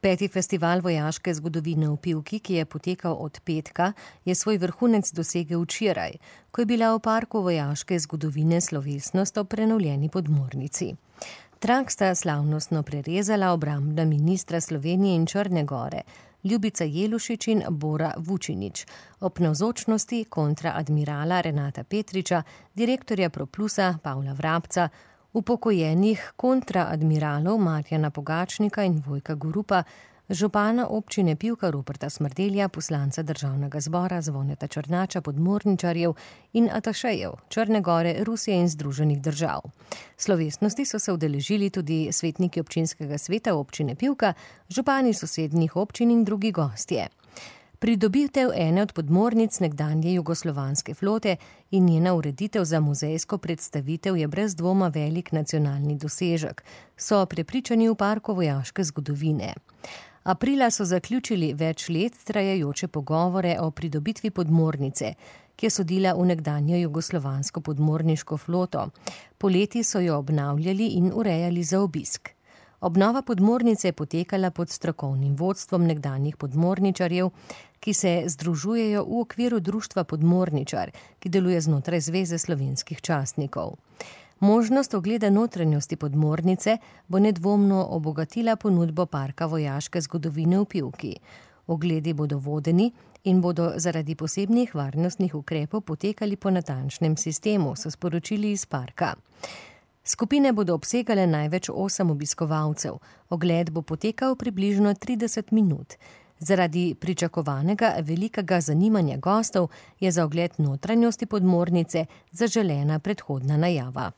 5. festival vojaške zgodovine v Pivki, ki je potekal od petka, je svoj vrhunec dosegel včeraj, ko je bila v parku vojaške zgodovine slovesnost ob prenovljeni podmornici. Trak sta slavnostno prerezala obrambna ministra Slovenije in Črne Gore, Ljubica Jelušič in Bora Vučinić, ob navzočnosti kontraadmirala Renata Petriča, direktorja Proplusa Pavla Vrabca, upokojenih kontraadmiralov Marjana Pogačnika in Vojka Gorupa, župana občine Pivka Roberta Smrdelja, poslanca Državnega zbora Zvoneta Črnača, podmorničarjev in atašejev Črne Gore, Rusije in Združenih držav. Slovesnosti so se udeležili tudi svetniki občinskega sveta občine Pivka, župani sosednjih občin in drugi gostje. Pridobitev ene od podmornic nekdanje jugoslovanske flote in njena ureditev za muzejsko predstavitev je brez dvoma velik nacionalni dosežek, so prepričani v parku vojaške zgodovine. Aprila so zaključili več let trajajoče pogovore o pridobitvi podmornice, ki je sodila v nekdanjo jugoslovansko podmorniško floto. Poleti so jo obnavljali in urejali za obisk. Obnova podmornice je potekala pod strokovnim vodstvom nekdanjih podmorničarjev, ki se združujejo v okviru društva Podmorničar, ki deluje znotraj Zveze slovenskih častnikov. Možnost ogleda notranjosti podmornice bo nedvomno obogatila ponudbo parka vojaške zgodovine v Pivki. Ogledi bodo vodeni in bodo zaradi posebnih varnostnih ukrepov potekali po natančnem sistemu, so sporočili iz parka. Skupine bodo obsegale največ 8 obiskovalcev. Ogled bo potekal približno 30 minut. Zaradi pričakovanega velikega zanimanja gostov je za ogled notranjosti podmornice zaželena predhodna najava.